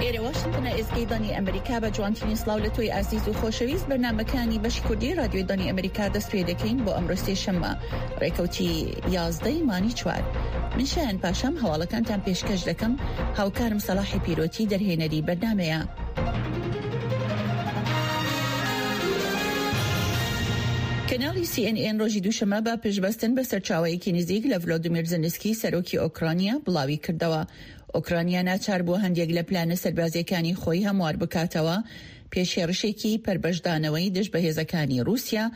ئێرە واشنتنە ئێزگەی دەنگی ئەمریکا بە جوانترین سڵاو لە تۆی ئازیز و خۆشەویست بەرنامەکانی بەشی کوردی رادیۆی دەنگی ئەمریکا دەست پێ دەکەین بۆ ئەمڕۆ سێشەممە ڕێکەوتی یازدەی مانگی چوار من شایان پاشام هەواڵەکانتان پێشکەش دەکەم هاوکارم سەڵاحی پیرۆتی دەرهێنەری بەرنامەیە. کەناڵی سی ئێن ئێن ڕۆژی دووشەممە بە پشتبەستن بە سەرچاوەیەکی نزیک لە ڤلۆدیمیر زنسکی سەرۆکی ئۆکرانیا بڵاوی کردەوە ئۆکرانیا ناچار بووە هەندێک لە پلانە سەربازییەکانی خۆی هەموار بکاتەوە پێش هێڕشێکی پەرپەشدانەوەی دژ بە هێزەکانی ڕووسیا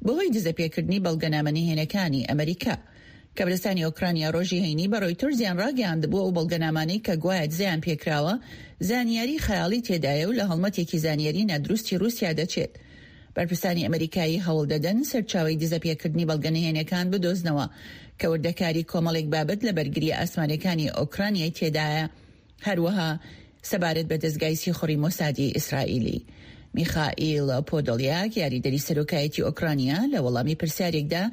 بەهۆی دزەپێکردنی بەڵگەنامە نهێنەکانی ئەمریکا. کەبرستانی ئۆکرانیا ڕۆژی هەینی بە ڕۆیتەرزیان ڕاگەیاندبوو ئەو بەڵگەنامانەی کە گوایە دزەیان پێکراوە زانیاری خەیاڵی تێدایە و لە هەڵمەتێکی زانیاری نادروستی ڕووسیا دەچێت. بەرپرسانی ئەمریکایی هەوڵ دەدەن سەرچاوەی دزەپێکردنی بەڵگە نهێنەکان بدۆزنەوە کە وردەکاری کۆمەڵێک بابەت لە بەرگرییە ئاسمانیەکانی ئۆکرانیای تێدایە، هەروەها سەبارەت بە دەزگای سیخوڕی مۆسادی ئیسرائیلی. میخائیل پۆدۆلیاک، یاریدەری سەرۆکایەتی ئۆکرانیا لە وەڵامی پرسیارێکدا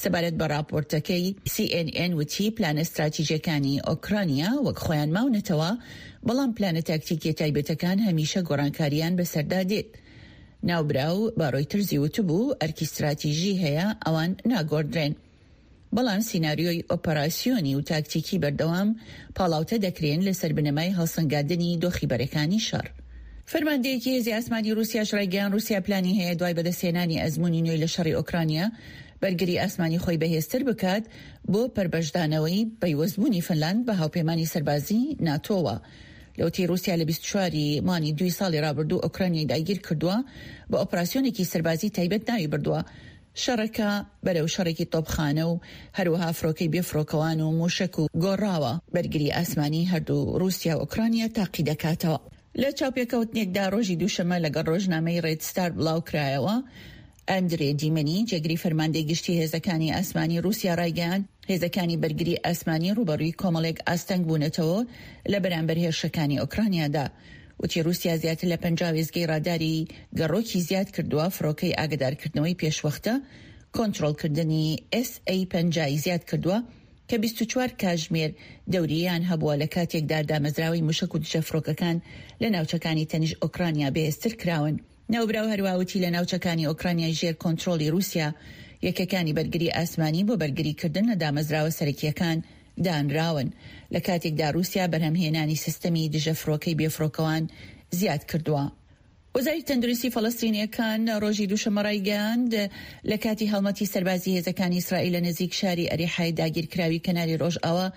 سەبارەت بە ڕاپۆرتەکەی سی ئێن ئێن وتی، پلانە ستراتیژیەکانی ئۆکرانیا وەک خۆیان ماونەتەوە، بەڵام پلانە تاکتیکیە تایبەتەکان هەمیشە گۆڕانکارییان بەسەردا دێت. ناوبراو بە ڕۆیتەرزی وتبوو، ئەرکی ستراتیژی هەیە، ئەوان ناگۆڕدرێن. بەڵام سیناریۆی ئۆپەراسیۆنی و تاکتیکی بەردەوام پاڵاوتە دەکرێن لەسەر بنەمای هەڵسەنگاندنی دۆخی بەرەکانی شەڕ. فەرماندەیەکی هێزی ئاسمانی رووسیاش رایگەیاند، رووسیا پلانی هەیە دوای بەدەستهێنانی ئەزموونی نوێی لە شەڕی ئۆکرانیا، بەرگری ئاسمانی خۆی بەهێزتر بکات بۆ پەرپەشدانەوەی پەیوەستبوونی فنلاند بە هاوپەیمانی سەربازی ناتۆوە. لەوەتەی رووسیا لە 24 ی مانگی دووی ساڵی رابردوو ئۆکرانیای داگیرکردووە، بە ئۆپراسیۆنێکی سەربازی تایبەت ناوی بردووە. شەڕەکە بەرەو شەڕێکی تۆپخانە و هەروەها فڕۆکەی بێفڕۆکەوان و مووشەک و گۆڕاوە. بەرگری ئاسمانی هەردوو ڕووسیا و ئۆکرانیا تاقیدەکاتەوە. لە چاوپێکەوتنێکدا ڕۆژی دووشەممە لەگەڵ ڕۆژنامەی ڕێد ستار بڵاوکرایەوە، ئەندرێ دیمنی، جێگری فەرماندەی گشتی هێزەکانی ئاسمانی ڕووسیا ڕایگەیاند، هێزەکانی بەرگری ئاسمانی ڕووبەڕووی کۆمەڵێک ئاستەنگ بوونەتەوە لە بەرامبەر هێرشەکانی ئۆکرانیادا. وتی ڕووسیا زیاتر لە 50 وێستگەی ڕاداری گەڕۆکی زیاد کردووە، فڕۆکەی ئاگادارکردنەوەی پێشوەختە، کۆنترۆڵکردنی ئێس ئەی 50 ی زیاد کردووە کە 24 کاژمێر دەوریەیان هەبووە لە کاتێکدا دامەزراوەی موشەک و دژە فڕۆکەکان لە ناوچەکانی تەنیشت ئۆکرانیا بەهێزتر کراون. ناوبراو هەروا وتی لە ناوچەکانی ئۆکرانیای ژێر کۆنترۆڵی ڕووسیا، یەکەکانی بەرگری ئاسمانی بۆ بەرگریکردن لە دامەزراوە سەرەکییەکان دانراون، لە کاتێکدا ڕووسیا بەرهەمهێنانی سیستەمی دژە فڕۆکەی بێفڕۆکەوان زیاد کردووە. وەزارەتی تەندروستی فەڵەستینییەکان ڕۆژی دووشەممە ڕایگەیاند، لە کاتی هەڵمەتی سەربازی هێزەکانی ئیسرائیل لە نزیک شاری ئەریحای داگیرکراوی کەناری ڕۆژئاوا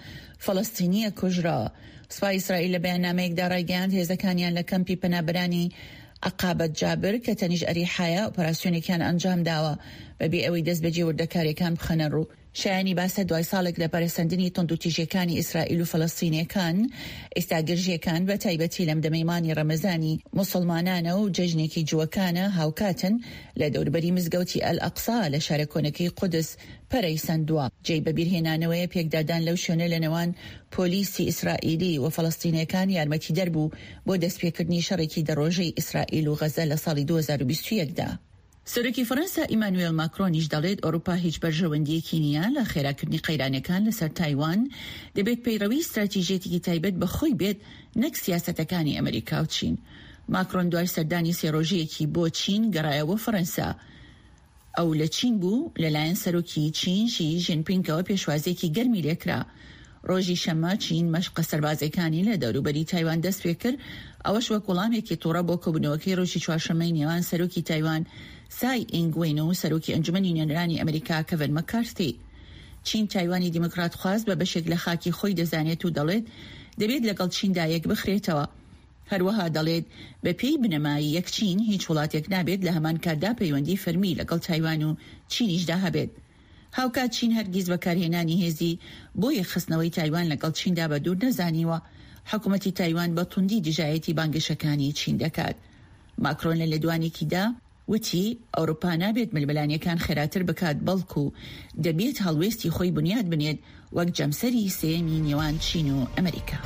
فەڵەستینییەک کوژراوە. سوپای ئیسرائیل لە بەیاننامەیەکدا ڕایگەیاند، هێزەکانیان لە کەمپی پەنابەرانی عەقابەت جابر کە تەنیشت ئەریحایە ئۆپەراسیۆنێکیان ئەنجامداوە بەبێ ئەوەی دەستبەجێ وردەکارییەکان بخەنە ڕوو. شایانی باسە دوای ساڵێک لە پەرەسەندنی توندوتیژیەکانی ئیسرائیل و فەلەستینیەکان، ئیستا گرژیەکان بە تایبەتی لەم دەمەی مانگی ڕەمەزانی موسڵمانانە و جەژنێکی جووەکانە هاوکاتن لە دەوروبەری مزگەوتی ئەلئەقسا لە شارە کۆنەکەی قودس پەرەی سەندووە. جێی بەبیرهێنانەوەیە پێکدادان لەو شوێنە لە نێوان پۆلیسی ئیسرائیلی و فەلەستینیەکان یارمەتیدەر بوو بۆ دەستپێکردنی شەڕێکی دە ڕۆژەی ئیسرائیل و غەزە لە ساڵی 2021 دا. سەرۆکی فەرەنسا ئیمانوێل ماکرۆنیش دەڵێت ئەوروپا هیچ بەرژەوەندییەکی نییە لە خێراکردنی قەیرانەکان لەسەر تایوان، دەبێت پەیڕەوی ستراتیژیەتێکی تایبەت بە خۆی بێت نەک سیاسەتەکانی ئەمریکا و چین. ماکرۆن دوای سەردانی سێ ڕۆژەیەکی بۆ چین گەڕایەوە فەرەنسا. ئەو لە چین بوو، لەلایەن سەرۆکی چین شی ژینپینگەوە پێشوازییەکی گەرمی لێکرا. ڕۆژی شەممە چین مەشقە سەربازییەکانی لە دەوروبەری تایوان دەستپێکرد، ئەوەش وەک وەڵامێکی توڕە بۆ کۆبوونەوەکەی ڕۆژی چوارشەممەی نێوان سەرۆکی تایوان سای ئینگ وین و سەرۆکی ئەنجومەنی نوێنەرانی ئەمریکا کەڤن مەکارسی. چین تایوانی دیموکراتخواز بە بەشێک لە خاکی خۆی دەزانێت و دەڵێت دەبێت لەگەڵ چیندا یەکبخرێتەوە. هەروەها دەڵێت بەپێی بنەمای یەک چین هیچ وڵاتێک نابێت لە هەمان کاتدا پەیوەندی فەرمی لەگەڵ تایوان و چینیشدا هەبێت. هاوکات چین هەرگیز بەکارهێنانی هێزی بۆ یەکخستنەوەی تایوان لەگەڵ چیندا بە دوور نەزانیوە. حکومەتی تایوان بە توندی دژایەتی بانگەشەکانی چین دەکات. ماکرۆن لە لێدوانێکیدا وتی، ئەوروپا نابێت ململانێکان خێراتر بکات، بەڵکو دەبێت هەڵوێستی خۆی بنیات بنێت وەک جەمسەری سێیەمی نێوان چین و ئەمریکا.